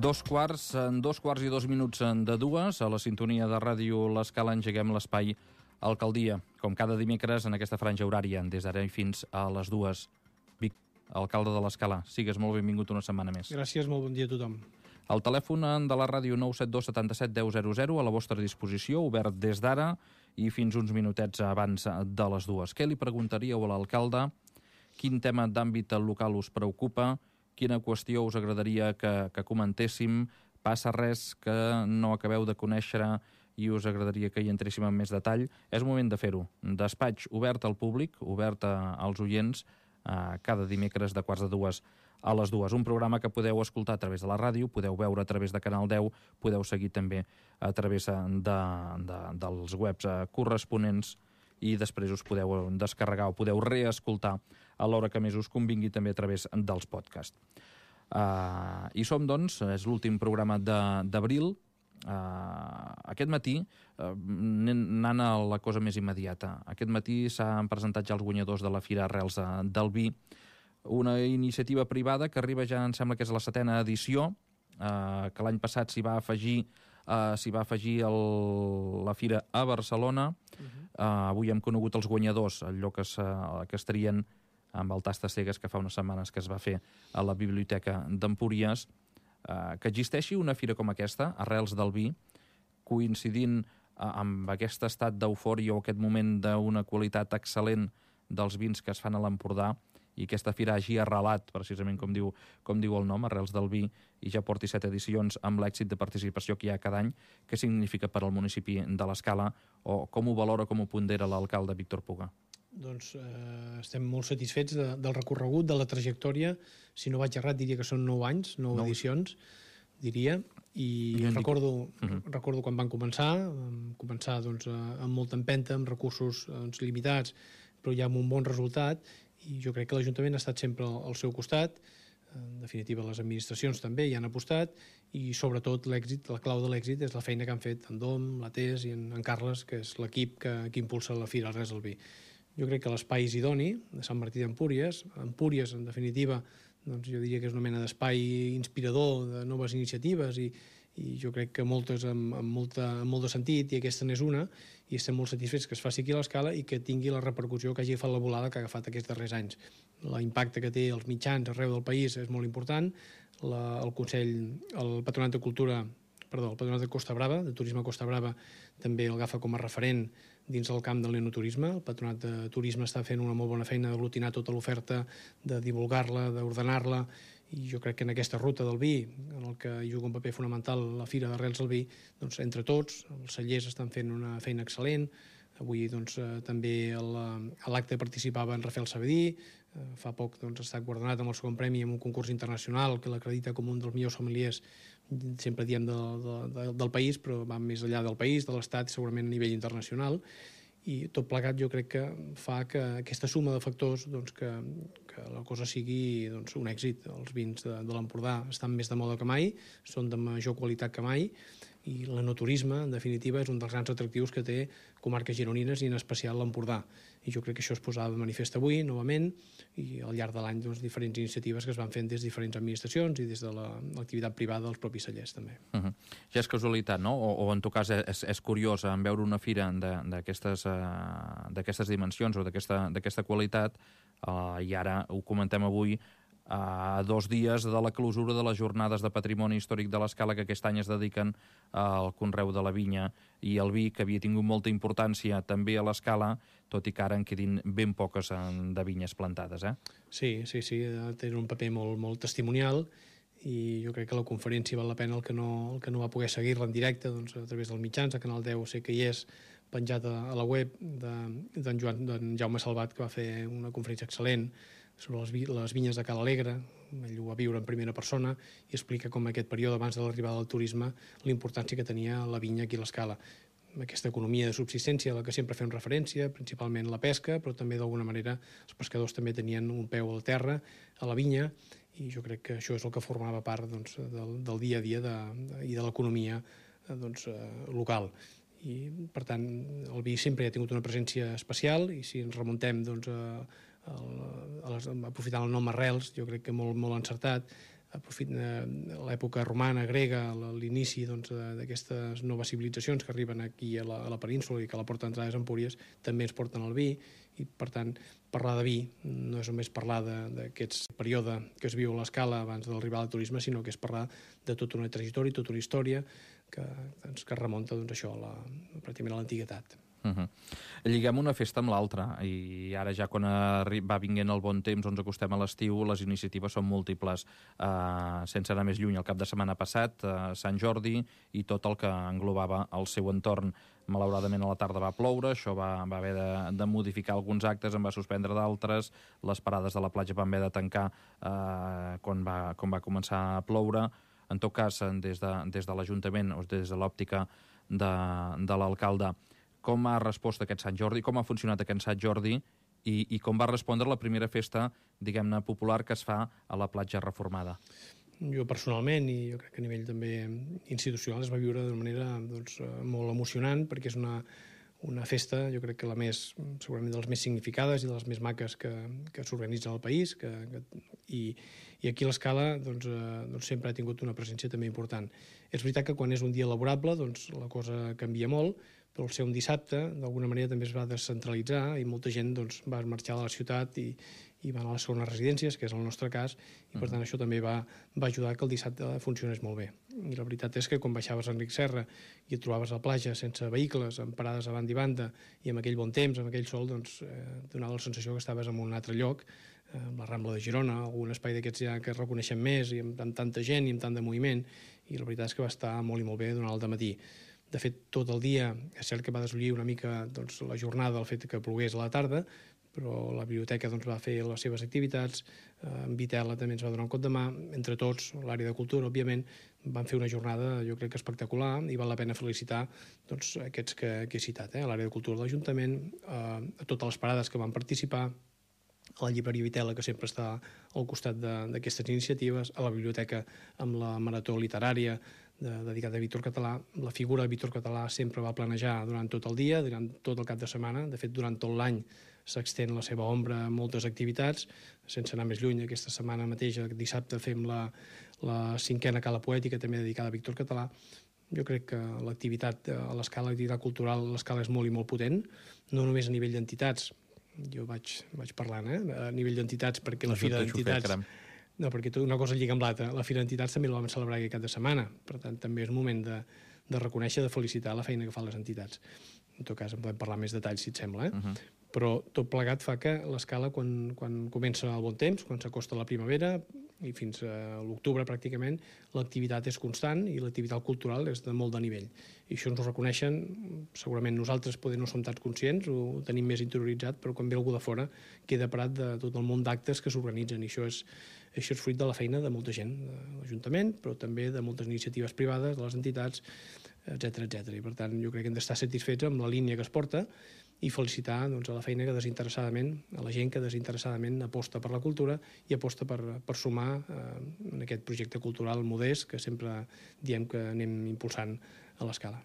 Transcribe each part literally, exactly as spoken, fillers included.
Dos quarts, en dos quarts i dos minuts de dues, a la sintonia de ràdio L'Escala engeguem l'espai Alcaldia, com cada dimecres en aquesta franja horària, des d'ara i fins a les dues. Vic, alcalde de l'Escala, sigues molt benvingut una setmana més. Gràcies, molt bon dia a tothom. El telèfon de la ràdio nou set dos setanta set deu zero zero a la vostra disposició, obert des d'ara i fins uns minutets abans de les dues. Què li preguntaríeu a l'alcalde? Quin tema d'àmbit local us preocupa? Quina qüestió us agradaria que, que comentéssim? Passa res que no acabeu de conèixer i us agradaria que hi entréssim en més detall? És moment de fer-ho. Despatx obert al públic, obert als oients, eh, cada dimecres de quarts de dues a les dues. Un programa que podeu escoltar a través de la ràdio, podeu veure a través de Canal deu, podeu seguir també a través de, de, dels webs corresponents i després us podeu descarregar o podeu reescoltar a l'hora que més us convingui també a través dels podcasts. Uh, I som, doncs, és l'últim programa d'abril. Uh, aquest matí, uh, anant a la cosa més immediata, aquest matí s'han presentat ja els guanyadors de la Fira Arrels del Vi, una iniciativa privada que arriba ja, em sembla que és la setena edició, uh, que l'any passat s'hi va afegir Uh, s'hi va afegir el, la fira a Barcelona. Uh-huh. uh, avui hem conegut els guanyadors, el lloc que, que estarien amb el Tastes Cegues, que fa unes setmanes que es va fer a la Biblioteca d'Empúries. Uh, que existeixi una fira com aquesta, Arrels del Vi, coincidint uh, amb aquest estat d'eufòria o aquest moment d'una qualitat excel·lent dels vins que es fan a l'Empordà, i aquesta fira hagi arrelat, precisament com diu, com diu el nom, Arrels del Vi, i ja porti set edicions amb l'èxit de participació que hi ha cada any. Què significa per al municipi de l'Escala, o com ho valora, com ho pondera l'alcalde Víctor Puga? Doncs eh, estem molt satisfets de, del recorregut, de la trajectòria. Si no vaig errat, diria que són nou anys, nou, nou. edicions, diria, i, I recordo, dic... uh-huh. recordo quan van començar, vam començar doncs, amb molta empenta, amb recursos doncs, limitats, però ja amb un bon resultat, i jo crec que l'Ajuntament ha estat sempre al seu costat. En definitiva, les administracions també hi han apostat, i sobretot l'èxit, la clau de l'èxit és la feina que han fet en Dom, la Tés i en, en Carles, que és l'equip que, que impulsa la Fira Arrels del Vi. Jo crec que l'espai és idoni, de Sant Martí d'Empúries. Empúries, en definitiva, doncs jo diria que és una mena d'espai inspirador de noves iniciatives, i, i jo crec que moltes amb, amb, molta, amb molt de sentit, i aquesta n'és una, i estem molt satisfets que es faci aquí a l'Escala i que tingui la repercussió que hagi agafat la volada que ha agafat aquests darrers anys. L'impacte que té els mitjans arreu del país és molt important. La, el Consell, el Patronat de Cultura, perdó, el Patronat de Costa Brava, de Turisme Costa Brava, també el agafa com a referent dins del camp del neoturisme. El Patronat de Turisme està fent una molt bona feina d'aglutinar tota l'oferta, de divulgar-la, d'ordenar-la, i jo crec que en aquesta ruta del vi, en el que juga un paper fonamental la Fira d'Arrels del Vi, doncs entre tots, els cellers estan fent una feina excel·lent. Avui doncs, eh, també el, a l'acte participava en Rafael Sabedí, eh, fa poc doncs, ha estat guardonat amb el segon premi en un concurs internacional que l'acredita com un dels millors sommeliers, sempre diem de, de, de, del país, però va més enllà del país, de l'Estat, segurament a nivell internacional, i tot plegat jo crec que fa que aquesta suma de factors doncs, que, que la cosa sigui doncs, un èxit. Els vins de, de l'Empordà estan més de moda que mai, són de major qualitat que mai, i l'enoturisme, en definitiva, és un dels grans atractius que té comarques gironines i en especial l'Empordà. I jo crec que això es posava de manifest avui, novament, i al llarg de l'any doncs, diferents iniciatives que es van fent des de diferents administracions i des de l'activitat privada dels propis cellers, també. Uh-huh. Ja és casualitat, no? O, o en tot cas és, és curiós en veure una fira d'aquestes uh, d'aquestes dimensions o d'aquesta qualitat, uh, i ara ho comentem avui, a dos dies de la clausura de les jornades de patrimoni històric de l'Escala, que aquest any es dediquen al conreu de la vinya i el vi, que havia tingut molta importància també a l'Escala, tot i que ara en quedin ben poques de vinyes plantades, eh? Sí, sí, sí, té un paper molt, molt testimonial, i jo crec que la conferència val la pena el que no, el que no va poder seguir-la en directe doncs, a través dels mitjans, a Canal deu sé que hi és penjat a, a la web d'en de, Joan, d'en Jaume Salvat, que va fer una conferència excel·lent sobre les, vi, les vinyes de Cala Alegre. Ell ho va viure en primera persona i explica com aquest període abans de l'arribada del turisme la importància que tenia la vinya aquí a l'Escala. Aquesta economia de subsistència a la que sempre fem referència, principalment la pesca, però també d'alguna manera els pescadors també tenien un peu al terra, a la vinya, i jo crec que això és el que formava part doncs, del, del dia a dia de, de, i de l'economia doncs, local. I, per tant, el vi sempre ha tingut una presència especial, i si ens remuntem doncs, a, a, a les, aprofitant el nom Arrels, jo crec que molt, molt encertat, l'època romana, grega, l'inici d'aquestes noves civilitzacions que arriben aquí a la, a la península i que a la porta d'entrada és Empúries, també ens porten el vi, i per tant parlar de vi no és només parlar d'aquest període que es viu a l'Escala abans de l'arribada del turisme, sinó que és parlar de tota una trajectòria, tota una història que, doncs, que remunta doncs, això, a la, pràcticament a l'antiguitat. Uh -huh. Lliguem una festa amb l'altra i ara ja quan va vinguent el bon temps, ens acostem a l'estiu, les iniciatives són múltiples. Uh, sense anar més lluny, el cap de setmana passat, uh, Sant Jordi i tot el que englobava el seu entorn. Malauradament a la tarda va ploure, això va, va haver de, de modificar alguns actes, en va suspendre d'altres, les parades de la platja van haver de tancar uh, quan, va, quan va començar a ploure. En tot cas, des de, des de l'Ajuntament o des de l'òptica de, de l'alcalde, com ha respost aquest Sant Jordi, com ha funcionat aquest Sant Jordi i, i com va respondre la primera festa, diguem-ne, popular que es fa a la platja reformada? Jo personalment, i jo crec que a nivell també institucional, es va viure d'una manera doncs, molt emocionant, perquè és una, una festa, jo crec que la més, segurament de les més significades i de les més maques que, que s'organitzen al país, que, que, i, i aquí l'Escala doncs, eh, doncs sempre ha tingut una presència també important. És veritat que quan és un dia laborable doncs, la cosa canvia molt, però al ser un dissabte, d'alguna manera també es va descentralitzar i molta gent doncs, va marxar de la ciutat i, i va anar a les segones residències, que és el nostre cas, i per tant això també va, va ajudar que el dissabte funcionés molt bé. I la veritat és que quan baixaves a Enric Serra i et trobaves a la platja sense vehicles, amb parades a banda i banda, i amb aquell bon temps, amb aquell sol, doncs eh, donava la sensació que estaves en un altre lloc, eh, amb la Rambla de Girona, algun espai d'aquests ja que reconeixem més, i amb, amb tanta gent i amb tant de moviment, i la veritat és que va estar molt i molt bé durant el dematí. De fet, tot el dia, és cert que va deslluir una mica doncs, la jornada el fet que plogués a la tarda, però la biblioteca doncs, va fer les seves activitats, eh, en Vitela també ens va donar un cop de mà, entre tots, l'àrea de cultura, òbviament, van fer una jornada, jo crec que espectacular, i val la pena felicitar doncs, aquests que, que he citat, eh? l'àrea de cultura de l'Ajuntament, eh, a totes les parades que van participar, a la llibreria Vitela, que sempre està al costat d'aquestes iniciatives, a la biblioteca amb la marató literària de, dedicada a Víctor Català. La figura de Víctor Català sempre va planejar durant tot el dia, durant tot el cap de setmana. De fet, durant tot l'any s'extén la seva ombra a moltes activitats. Sense anar més lluny, aquesta setmana mateix, dissabte, fem la, la cinquena Cala Poètica, també dedicada a Víctor Català. Jo crec que l'activitat a l'Escala, l'activitat cultural a l'Escala és molt i molt potent, no només a nivell d'entitats. Jo vaig, vaig parlant, eh? A nivell d'entitats, perquè la Fira d'Entitats... No, perquè una cosa lliga amb l'altra. La Fira d'Entitats també la vam celebrar aquest cap de setmana. Per tant, també és moment de, de reconèixer, de felicitar la feina que fan les entitats. En tot cas, en podem parlar més detalls, si et sembla. Eh? Uh -huh. Però tot plegat fa que l'Escala, quan, quan comença el bon temps, quan s'acosta la primavera, i fins a l'octubre pràcticament, l'activitat és constant i l'activitat cultural és de molt de nivell. I això ens ho reconeixen, segurament nosaltres poder no som tan conscients, ho tenim més interioritzat, però quan ve algú de fora queda parat de tot el món d'actes que s'organitzen, i això és, això és fruit de la feina de molta gent, de l'Ajuntament, però també de moltes iniciatives privades, de les entitats, etcètera, etcètera. I per tant, jo crec que hem d'estar satisfets amb la línia que es porta i felicitar doncs, a la feina que desinteressadament, a la gent que desinteressadament aposta per la cultura i aposta per, per sumar eh, en aquest projecte cultural modest que sempre diem que anem impulsant a l'Escala.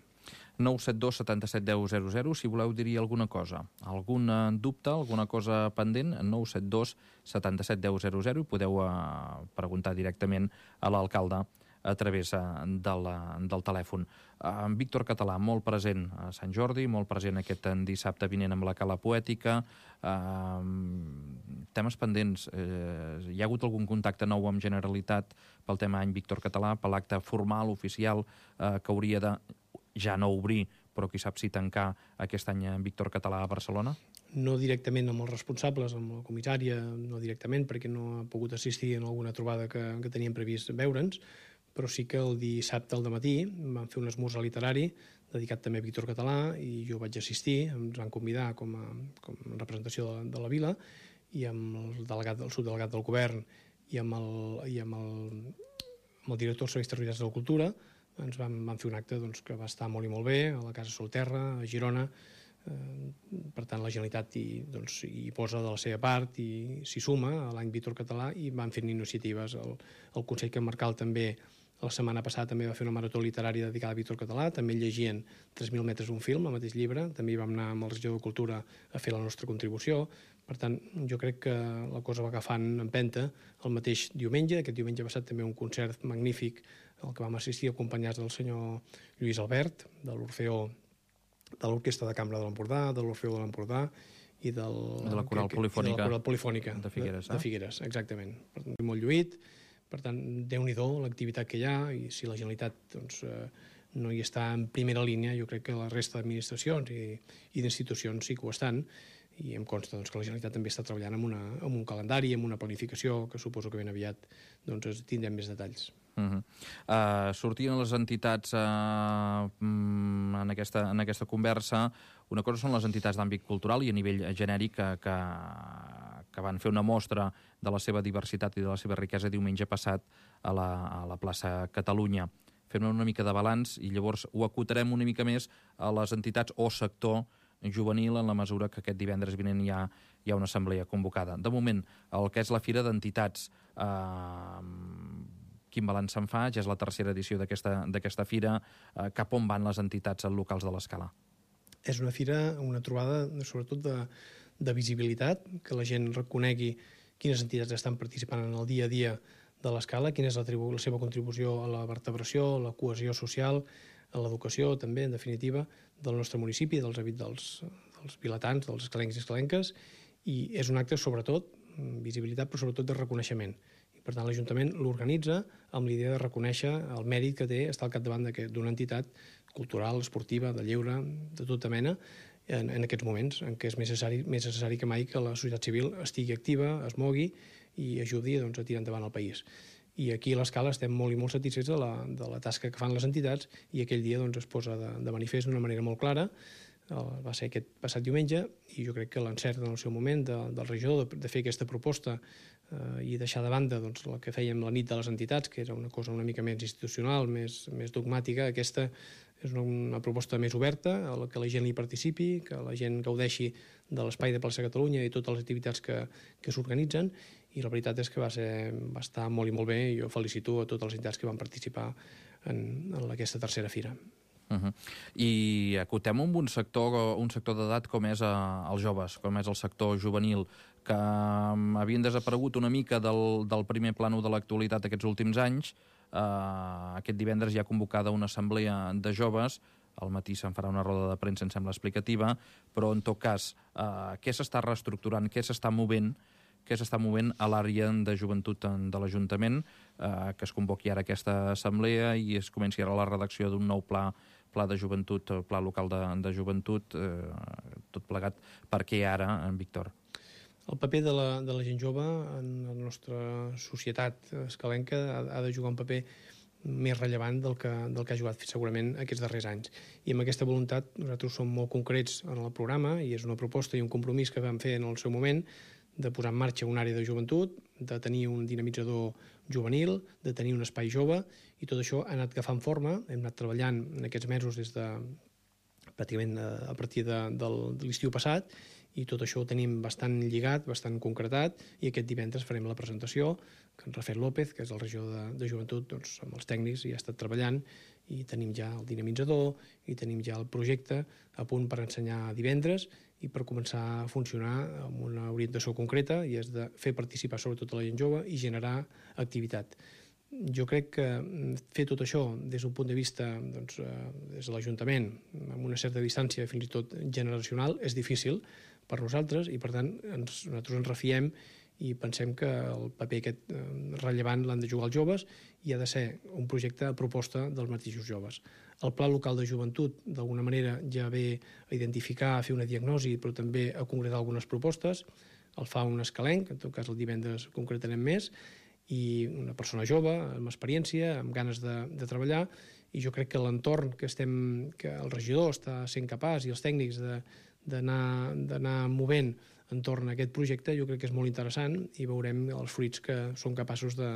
nou set dos setanta set deu zero zero, si voleu dir alguna cosa, algun dubte, alguna cosa pendent, nou set dos setanta set deu zero zero, i podeu eh, preguntar directament a l'alcalde a través eh, de la, del telèfon. En eh, Víctor Català, molt present a Sant Jordi, molt present aquest dissabte vinent amb la Cala Poètica. Eh, temes pendents. Eh, hi ha hagut algun contacte nou amb Generalitat pel tema any Víctor Català, per l'acte formal, oficial, eh, que hauria de ja no obrir, però qui sap si tancar aquest any Víctor Català a Barcelona? No directament amb els responsables, amb la comissària, no directament, perquè no ha pogut assistir en alguna trobada que, que teníem previst veure'ns, però sí que el dissabte al dematí vam fer un esmorzar literari dedicat també a Víctor Català i jo vaig assistir, ens van convidar com a, com a representació de, de la vila i amb el, delegat, el subdelegat del govern i amb el, i amb el, amb el director dels serveis territorials de la cultura ens vam, vam fer un acte doncs, que va estar molt i molt bé a la Casa Solterra, a Girona. Eh, per tant, la Generalitat hi, doncs, hi posa de la seva part i s'hi suma a l'any Víctor Català i van fent iniciatives. El, el Consell Comarcal també La setmana passada també va fer una marató literària dedicada a Víctor Català, també llegien tres mil metres un film, el mateix llibre, també hi vam anar amb el regidor de Cultura a fer la nostra contribució. Per tant, jo crec que la cosa va agafant empenta el mateix diumenge. Aquest diumenge ha passat també un concert magnífic al que vam assistir acompanyats del senyor Lluís Albert, de l'Orfeó, de l'Orquestra de Cambra de l'Empordà, de l'Orfeó de l'Empordà i del, de la Coral Polifònica, de, la Coral Polifònica de Figueres. De, de Figueres, exactament. Per tant, molt lluït. Per tant, déu-n'hi-do l'activitat que hi ha, i si la Generalitat doncs, eh, no hi està en primera línia, jo crec que la resta d'administracions i, i d'institucions sí que ho estan, i em consta doncs, que la Generalitat també està treballant amb, una, amb un calendari, amb una planificació, que suposo que ben aviat doncs, tindrem més detalls. Uh -huh. uh, sortien les entitats uh, en, aquesta, en aquesta conversa. Una cosa són les entitats d'àmbit cultural i a nivell genèric que, que, que van fer una mostra de la seva diversitat i de la seva riquesa diumenge passat a la, a la plaça Catalunya. Fem una mica de balanç i llavors ho acotarem una mica més a les entitats o sector juvenil en la mesura que aquest divendres vinent hi ha, hi ha una assemblea convocada. De moment, el que és la Fira d'Entitats, eh, quin balanç se'n fa? Ja és la tercera edició d'aquesta fira. Eh, cap on van les entitats locals de l'Escala? És una fira, una trobada, sobretot de, de visibilitat, que la gent reconegui quines entitats estan participant en el dia a dia de l'Escala, quina és la, la seva contribució a la vertebració, a la cohesió social, a l'educació, també, en definitiva, del nostre municipi, dels habits dels, dels vilatans, dels escalencs i escalenques, i és un acte, sobretot, visibilitat, però sobretot de reconeixement. I, per tant, l'Ajuntament l'organitza amb l'idea de reconèixer el mèrit que té estar al capdavant d'una entitat cultural, esportiva, de lleure, de tota mena, en, en aquests moments en què és més necessari, més necessari que mai que la societat civil estigui activa, es mogui i ajudi doncs, a tirar endavant el país. I aquí a l'Escala estem molt i molt satisfets de la, de la tasca que fan les entitats, i aquell dia doncs, es posa de, de manifest d'una manera molt clara. El, va ser aquest passat diumenge, i jo crec que l'encert en el seu moment de, del regidor de, de fer aquesta proposta eh, i deixar de banda doncs, el que fèiem la nit de les entitats, que era una cosa una mica més institucional, més, més dogmàtica. Aquesta és una, una proposta més oberta, a la que la gent hi participi, que la gent gaudeixi de l'espai de plaça Catalunya i totes les activitats que, que s'organitzen, i la veritat és que va, ser, va estar molt i molt bé, i jo felicito a totes les entitats que van participar en, en aquesta tercera fira. Uh -huh. I acotem amb un sector, un sector d'edat com és uh, els joves, com és el sector juvenil, que um, havien desaparegut una mica del, del primer plànol de l'actualitat aquests últims anys. Uh, aquest divendres hi ha convocada una assemblea de joves, al matí se'n farà una roda de premsa, em sembla explicativa, però en tot cas, uh, què s'està reestructurant, què s'està movent, què s'està movent a l'àrea de joventut de l'Ajuntament, eh, que es convoqui ara aquesta assemblea i es comenci ara la redacció d'un nou pla, pla de joventut, pla local de, de joventut, eh, tot plegat. Per què ara, en Víctor? El paper de la, de la gent jove en la nostra societat escalenca ha, ha de jugar un paper més rellevant del que, del que ha jugat segurament aquests darrers anys. I amb aquesta voluntat nosaltres som molt concrets en el programa, i és una proposta i un compromís que vam fer en el seu moment, de posar en marxa una àrea de joventut, de tenir un dinamitzador juvenil, de tenir un espai jove, i tot això ha anat agafant forma. Hem anat treballant en aquests mesos des de pràcticament a partir de, de, de l'estiu passat, i tot això ho tenim bastant lligat, bastant concretat, i aquest divendres farem la presentació, que en Rafael López, que és el regidor de, de joventut, doncs, amb els tècnics hi ha estat treballant, i tenim ja el dinamitzador, i tenim ja el projecte a punt per ensenyar divendres, i per començar a funcionar amb una orientació concreta, i és de fer participar sobretot a la gent jove i generar activitat. Jo crec que fer tot això des d'un punt de vista, doncs, des de l'Ajuntament, amb una certa distància fins i tot generacional, és difícil per nosaltres, i per tant ens, nosaltres ens refiem i pensem que el paper aquest rellevant l'han de jugar els joves, i ha de ser un projecte a proposta dels mateixos joves. El Pla Local de Joventut, d'alguna manera, ja ve a identificar, a fer una diagnosi, però també a concretar algunes propostes. El fa un escalenc, en tot cas el divendres concretarem més, i una persona jove, amb experiència, amb ganes de, de treballar, i jo crec que l'entorn que estem, que el regidor està sent capaç, i els tècnics d'anar movent entorn a aquest projecte, jo crec que és molt interessant, i veurem els fruits que són capaços de,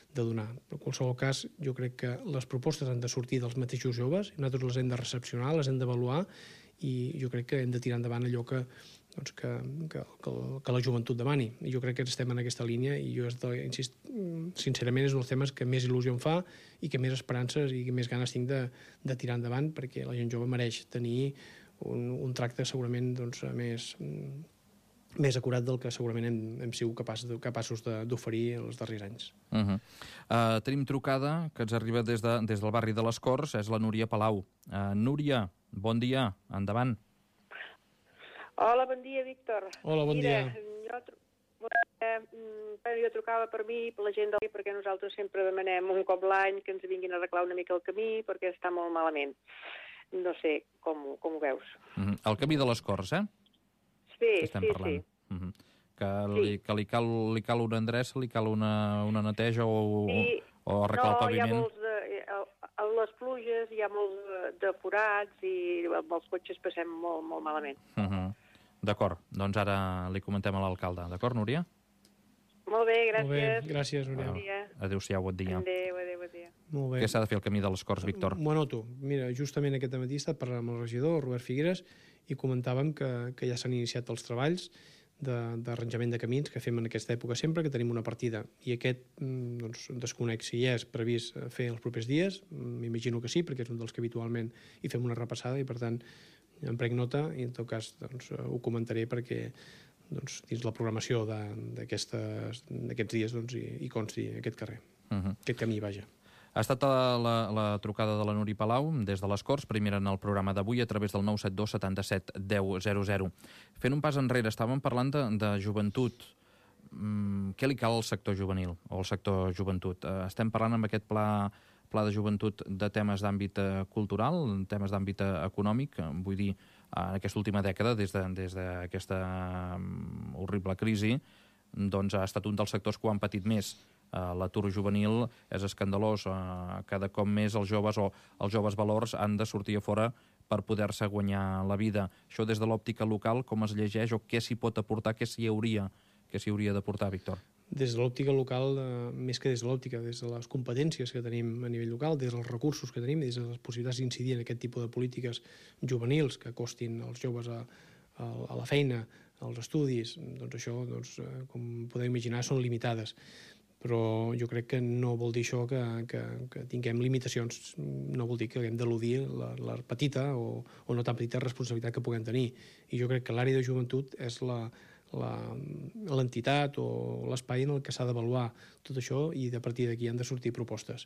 de donar. Però en qualsevol cas, jo crec que les propostes han de sortir dels mateixos joves, i nosaltres les hem de recepcionar, les hem d'avaluar, i jo crec que hem de tirar endavant allò que doncs que, que, que, que la joventut demani. I jo crec que estem en aquesta línia i jo, insist, sincerament, és un dels temes que més il·lusió em fa i que més esperances i que més ganes tinc de, de tirar endavant, perquè la gent jove mereix tenir un, un tracte segurament doncs, més, més acurat del que segurament hem, hem sigut capaç, capaços d'oferir els darrers anys. Uh -huh. uh, tenim trucada que ens arriba des, de, des del barri de les Corts, és la Núria Palau. Uh, Núria, bon dia, endavant. Hola, bon dia, Víctor. Hola, bon Mira, dia. Jo, eh, jo trucava per mi, per la gent del perquè nosaltres sempre demanem un cop l'any que ens vinguin a arreglar una mica el camí perquè està molt malament. No sé com, com ho veus. Uh -huh. El camí de les Corts, eh? Sí, estem sí, parlant. sí. Uh -huh. Que, li, que li, cal, li cal una endreça, li cal una, una neteja o, sí. o arreglar no, el paviment? No, hi ha molts de... A les pluges hi ha molts de, de forats i amb els cotxes passem molt, molt malament. Uh -huh. D'acord, doncs ara li comentem a l'alcalde. D'acord, Núria? Molt bé, gràcies. Molt bé, gràcies, Núria. Bon dia. Adéu-siau, bon dia. Adéu, adéu, bon dia. Molt bé. Què s'ha de fer al camí de les Corts, Víctor? M'ho anoto. Mira, justament aquest matí he estat parlant amb el regidor, Robert Figueres, i comentàvem que, que ja s'han iniciat els treballs d'arranjament de, de camins que fem en aquesta època sempre, que tenim una partida. I aquest, doncs, desconec si hi és previst fer els propers dies, m'imagino que sí, perquè és un dels que habitualment hi fem una repassada i, per tant, em prenc nota i, en tot cas, doncs, ho comentaré perquè doncs, dins la programació d'aquests dies doncs, hi, hi consti aquest carrer, uh -huh. aquest camí, vaja. Ha estat la, la, la trucada de la Núria Palau des de les Corts, primera en el programa d'avui a través del nou set dos setanta-set deu zero zero. Fent un pas enrere, estàvem parlant de, de joventut. Mm, què li cal al sector juvenil o al sector joventut? Uh, estem parlant amb aquest pla, pla de joventut de temes d'àmbit uh, cultural, temes d'àmbit uh, econòmic, uh, vull dir, uh, en aquesta última dècada, des d'aquesta de, um, horrible crisi, doncs ha estat un dels sectors que ho han patit més. Uh, l'atur juvenil és escandalós. Uh, cada cop més els joves o els joves valors han de sortir a fora per poder-se guanyar la vida. Això des de l'òptica local, com es llegeix o què s'hi pot aportar, què s'hi hauria, què s'hi hauria d'aportar, Víctor? Des de l'òptica local, eh, més que des de l'òptica, des de les competències que tenim a nivell local, des dels recursos que tenim, des de les possibilitats d'incidir en aquest tipus de polítiques juvenils que acostin els joves a, a, a la feina, als estudis, doncs això, doncs, eh, com podeu imaginar, són limitades. Però jo crec que no vol dir això que, que, que tinguem limitacions, no vol dir que haguem d'eludir la, la petita o, o no tan petita responsabilitat que puguem tenir. I jo crec que l'àrea de joventut és la l'entitat o l'espai en el que s'ha d'avaluar tot això i de partir d'aquí han de sortir propostes.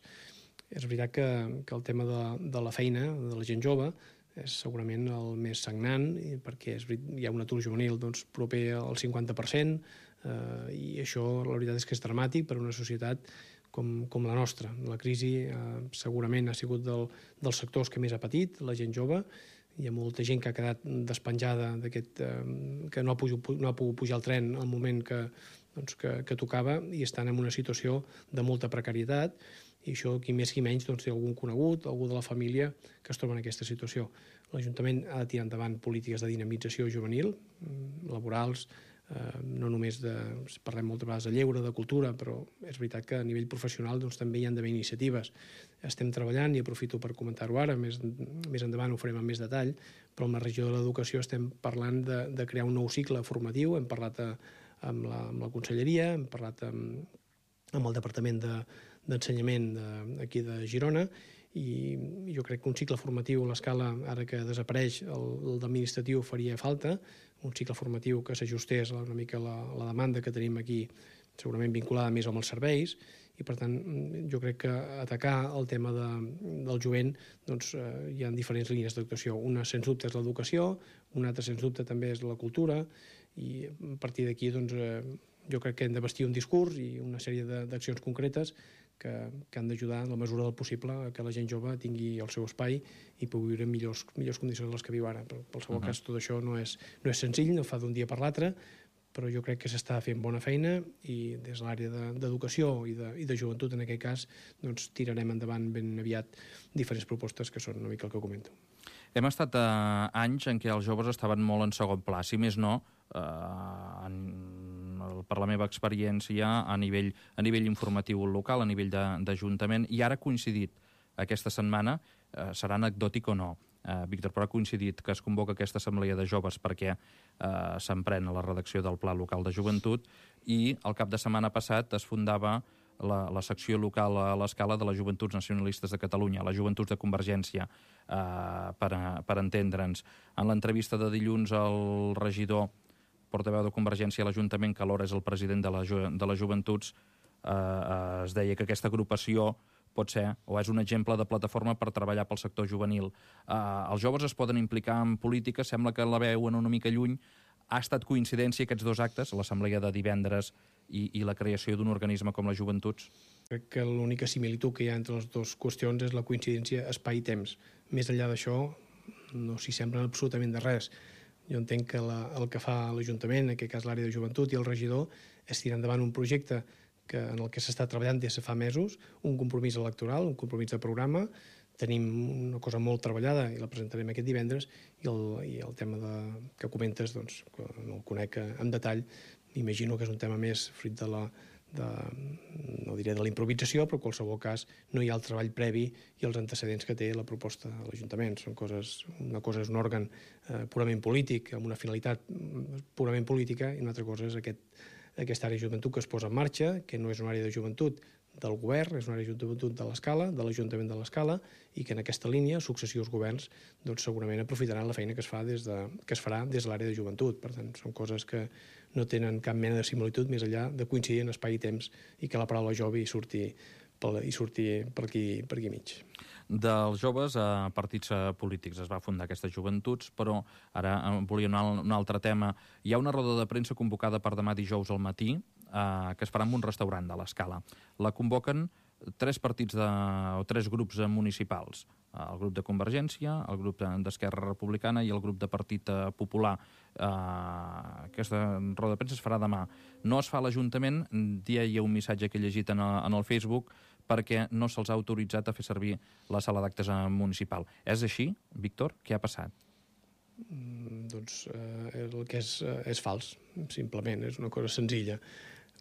És veritat que, que el tema de, de la feina, de la gent jove, és segurament el més sagnant, perquè és, hi ha un atur juvenil doncs, proper al cinquanta per cent, eh, i això la veritat és que és dramàtic per a una societat com, com la nostra. La crisi eh, segurament ha sigut del, dels sectors que més ha patit, la gent jove. Hi ha molta gent que ha quedat despenjada d'aquest, eh, que no ha, pogut, no ha pogut pujar al tren al moment que, doncs, que, que tocava i estan en una situació de molta precarietat, i això, qui més qui menys, doncs, té algun conegut, algú de la família que es troba en aquesta situació. L'Ajuntament ha de tirar endavant polítiques de dinamització juvenil, laborals, eh, no només de... parlem moltes vegades de lleure, de cultura, però és veritat que a nivell professional doncs, també hi ha d'haver iniciatives. Estem treballant, i aprofito per comentar-ho ara, més, més endavant ho farem amb més detall, però amb la regió de l'educació estem parlant de, de crear un nou cicle formatiu, hem parlat a, amb, la, amb la conselleria, hem parlat amb, amb el Departament de, d'Ensenyament de, aquí de Girona, i jo crec que un cicle formatiu a l'escala, ara que desapareix el, el d'administratiu, faria falta, un cicle formatiu que s'ajustés una mica a la, la demanda que tenim aquí, segurament vinculada més amb els serveis, i per tant jo crec que atacar el tema de, del jovent doncs, eh, hi ha diferents línies d'actuació. Una, sens dubte, és l'educació, una altra, sens dubte, també és la cultura, i a partir d'aquí doncs, eh, jo crec que hem de vestir un discurs i una sèrie d'accions concretes que, que han d'ajudar en la mesura del possible a que la gent jove tingui el seu espai i pugui viure en millors, millors condicions de les que viu ara. Però, en qualsevol uh -huh. cas, tot això no és, no és senzill, no fa d'un dia per l'altre, però jo crec que s'està fent bona feina i des de l'àrea d'educació de, i, de, i de joventut, en aquest cas, doncs, tirarem endavant ben aviat diferents propostes que són una mica el que comento. Hem estat a anys en què els joves estaven molt en segon pla, si més no, eh, en, per la meva experiència a nivell, a nivell informatiu local, a nivell d'Ajuntament, i ara ha coincidit aquesta setmana, eh, serà anecdòtic o no, eh, Víctor, però ha coincidit que es convoca aquesta assemblea de joves perquè eh, s'emprèn a la redacció del Pla Local de Joventut i el cap de setmana passat es fundava la, la secció local a l'Escala de les Joventuts Nacionalistes de Catalunya, les Joventuts de Convergència, eh, per, a, per entendre'ns. En l'entrevista de dilluns al regidor portaveu de Convergència a l'Ajuntament, que alhora és el president de, la, de les Joventuts, eh, eh, es deia que aquesta agrupació pot ser o és un exemple de plataforma per treballar pel sector juvenil. Eh, els joves es poden implicar en política, sembla que la veuen una mica lluny. Ha estat coincidència aquests dos actes, l'assemblea de divendres i, i la creació d'un organisme com les Joventuts? Crec que l'única similitud que hi ha entre les dues qüestions és la coincidència espai i temps. Més enllà d'això, no s'hi semblen absolutament de res. Jo entenc que la, el que fa l'Ajuntament, en aquest cas l'àrea de joventut i el regidor, és tirar endavant un projecte que, en el que s'està treballant des de fa mesos, un compromís electoral, un compromís de programa. Tenim una cosa molt treballada i la presentarem aquest divendres, i el, i el tema de, que comentes, doncs, que no el conec en detall, m'imagino que és un tema més fruit de la, de, no diré de la improvisació, però en qualsevol cas no hi ha el treball previ i els antecedents que té la proposta de l'Ajuntament. Són coses, una cosa és un òrgan eh, purament polític, amb una finalitat purament política, i una altra cosa és aquest, aquesta àrea de joventut que es posa en marxa, que no és una àrea de joventut del govern, és una àrea de joventut de l'Escala, de l'Ajuntament de l'Escala, i que en aquesta línia successius governs doncs, segurament aprofitaran la feina que es, fa des de, que es farà des de l'àrea de joventut. Per tant, són coses que no tenen cap mena de similitud més enllà de coincidir en espai i temps i que la paraula jove hi surti, hi surti per, aquí, per aquí mig. Dels joves a partits polítics es va fundar aquestes joventuts, però ara volia un, un altre tema. Hi ha una roda de premsa convocada per demà dijous al matí, eh, que es farà en un restaurant de l'Escala. La convoquen tres partits de, o tres grups municipals, el grup de Convergència, el grup d'Esquerra Republicana i el grup de Partit Popular. Eh, aquesta roda de premsa es farà demà. No es fa a l'Ajuntament, hi ha un missatge que he llegit en el, en el Facebook, perquè no se'ls ha autoritzat a fer servir la sala d'actes municipal. És així, Víctor? Què ha passat? Mm, doncs eh, el que és, és fals, simplement, és una cosa senzilla.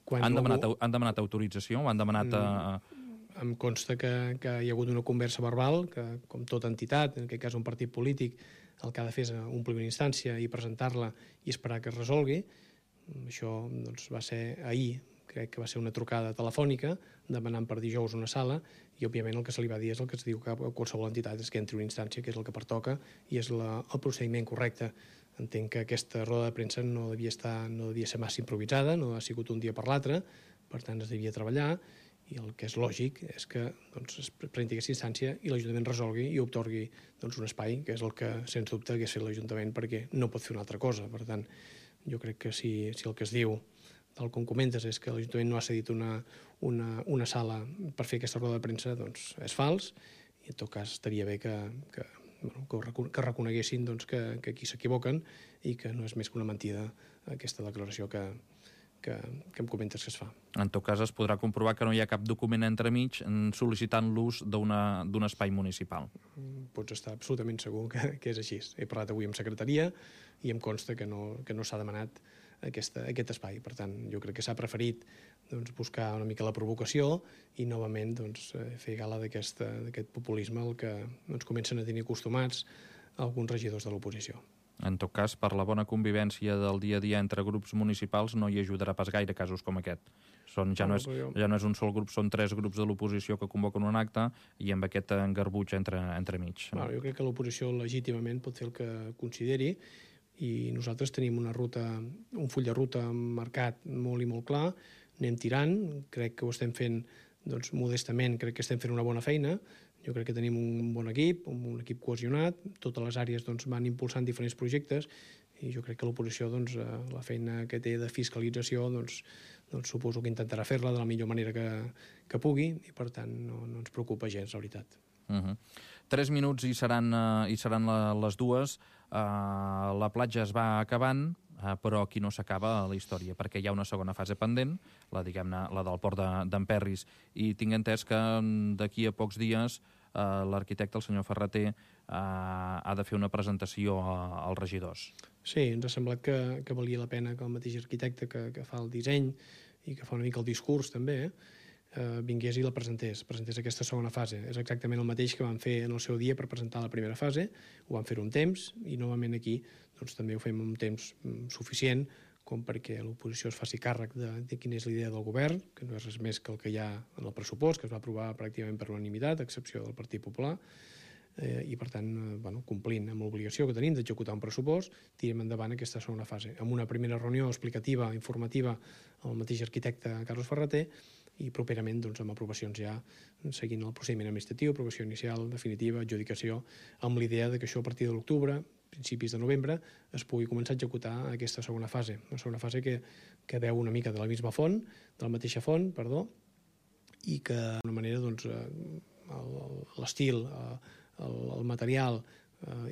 Quan han, demanat, algú... han demanat autorització? O han demanat... Mm, em consta que, que hi ha hagut una conversa verbal, que com tota entitat, en aquest cas un partit polític, el que ha de fer és omplir una instància i presentar-la i esperar que es resolgui. Això doncs, va ser ahir, crec que va ser una trucada telefònica, demanant per dijous una sala, i òbviament el que se li va dir és el que es diu que a qualsevol entitat és que entri una instància, que és el que pertoca, i és la, el procediment correcte. Entenc que aquesta roda de premsa no devia, estar, no devia ser massa improvisada, no ha sigut un dia per l'altre, per tant es devia treballar, i el que és lògic és que doncs, es presenti aquesta instància i l'Ajuntament resolgui i obtorgui doncs, un espai, que és el que, sens dubte, hagués fet l'Ajuntament, perquè no pot fer una altra cosa. Per tant, jo crec que si, si el que es diu, tal com comentes, és que l'Ajuntament no ha cedit una, una, una sala per fer aquesta roda de premsa, doncs és fals, i en tot cas estaria bé que, que, bueno, que reconeguessin doncs, que, que aquí s'equivoquen i que no és més que una mentida aquesta declaració que, que, que em comentes que es fa. En tot cas, es podrà comprovar que no hi ha cap document entremig sol·licitant l'ús d'un espai municipal. Pots estar absolutament segur que, que és així. He parlat avui amb secretaria i em consta que no, que no s'ha demanat aquesta, aquest espai. Per tant, jo crec que s'ha preferit doncs, buscar una mica la provocació i novament doncs, fer gala d'aquest populisme al que doncs, comencen a tenir acostumats alguns regidors de l'oposició. En tot cas, per la bona convivència del dia a dia entre grups municipals no hi ajudarà pas gaire casos com aquest. Són, ja, no és, ja no és un sol grup, són tres grups de l'oposició que convoquen un acte i amb aquest engarbuig entre, entre mig. Bueno, jo crec que l'oposició legítimament pot fer el que consideri i nosaltres tenim una ruta, un full de ruta marcat molt i molt clar, anem tirant, crec que ho estem fent doncs, modestament, crec que estem fent una bona feina. Jo crec que tenim un bon equip, un equip cohesionat, totes les àrees doncs, van impulsant diferents projectes i jo crec que l'oposició, doncs, la feina que té de fiscalització, doncs, doncs suposo que intentarà fer-la de la millor manera que, que pugui i per tant no, no ens preocupa gens, la veritat. Uh -huh. Tres minuts i seran, uh, i seran la, les dues. Uh, la platja es va acabant, uh, però aquí no s'acaba la història, perquè hi ha una segona fase pendent, la, diguem-ne, la del port d'Emperris, i tinc entès que d'aquí a pocs dies uh, l'arquitecte, el senyor Ferreter, uh, ha de fer una presentació a, als regidors. Sí, ens ha semblat que, que valia la pena que el mateix arquitecte que, que fa el disseny i que fa una mica el discurs també, eh, eh, vingués i la presentés, presentés aquesta segona fase. És exactament el mateix que vam fer en el seu dia per presentar la primera fase, ho vam fer un temps i novament aquí doncs, també ho fem un temps suficient com perquè l'oposició es faci càrrec de, de quina és l'idea del govern, que no és res més que el que hi ha en el pressupost, que es va aprovar pràcticament per unanimitat, a excepció del Partit Popular, eh, i per tant, eh, bueno, complint amb l'obligació que tenim d'executar un pressupost, tirem endavant aquesta segona fase. Amb una primera reunió explicativa, informativa, amb el mateix arquitecte Carlos Ferreter, i properament doncs, amb aprovacions ja seguint el procediment administratiu, aprovació inicial, definitiva, adjudicació, amb l'idea de que això a partir de l'octubre, principis de novembre, es pugui començar a executar aquesta segona fase. Una segona fase que, que veu una mica de la misma font, de la mateixa font, perdó, i que d'una manera doncs, l'estil, el, el material,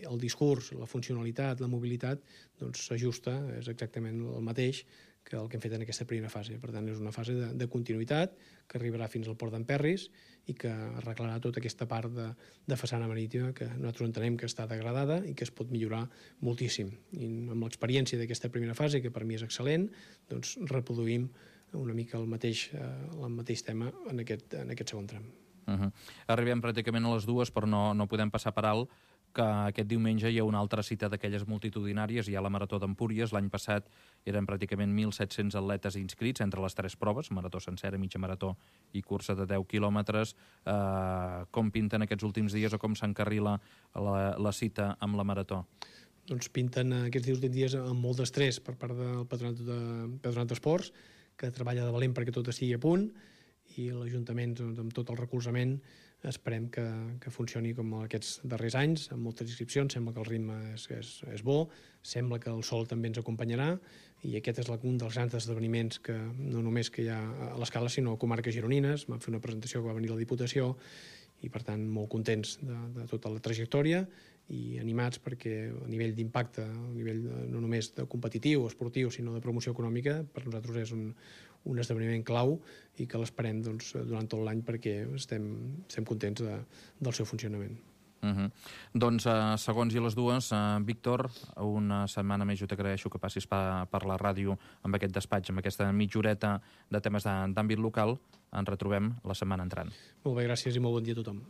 el discurs, la funcionalitat, la mobilitat, doncs s'ajusta, és exactament el mateix que el que hem fet en aquesta primera fase. Per tant, és una fase de, de continuïtat que arribarà fins al port d'Emperris i que arreglarà tota aquesta part de, de façana marítima que nosaltres entenem que està degradada i que es pot millorar moltíssim. I amb l'experiència d'aquesta primera fase, que per mi és excel·lent, doncs reproduïm una mica el mateix, eh, el mateix tema en aquest, en aquest segon tram. Uh-huh. Arribem pràcticament a les dues, però no, no podem passar per alt que aquest diumenge hi ha una altra cita d'aquelles multitudinàries, hi ha la Marató d'Empúries. L'any passat eren pràcticament mil set-cents atletes inscrits entre les tres proves, marató sencera, mitja marató i cursa de deu quilòmetres. Eh, com pinten aquests últims dies o com s'encarrila la, la cita amb la Marató? Doncs pinten aquests últims dies amb molt d'estrès per part del Patronat de Patronat d'Esports, que treballa de valent perquè tot estigui a punt, i l'Ajuntament, doncs, amb tot el recolzament, esperem que, que funcioni com aquests darrers anys, amb moltes inscripcions. Sembla que el ritme és, és, és bo, sembla que el sol també ens acompanyarà, i aquest és un dels grans esdeveniments que no només que hi ha a l'escala, sinó a comarques gironines. Vam fer una presentació que va venir a la Diputació, i per tant molt contents de, de tota la trajectòria i animats perquè a nivell d'impacte, a nivell de, no només de competitiu o esportiu, sinó de promoció econòmica, per nosaltres és un, un esdeveniment clau i que l'esperem doncs, durant tot l'any perquè estem, estem contents de, del seu funcionament. Uh-huh. Doncs, uh, segons i les dues, uh, Víctor, una setmana més jo t'agraeixo que passis per, per la ràdio amb aquest despatx, amb aquesta mitja horeta de temes d'àmbit local. Ens retrobem la setmana entrant. Molt bé, gràcies i molt bon dia a tothom.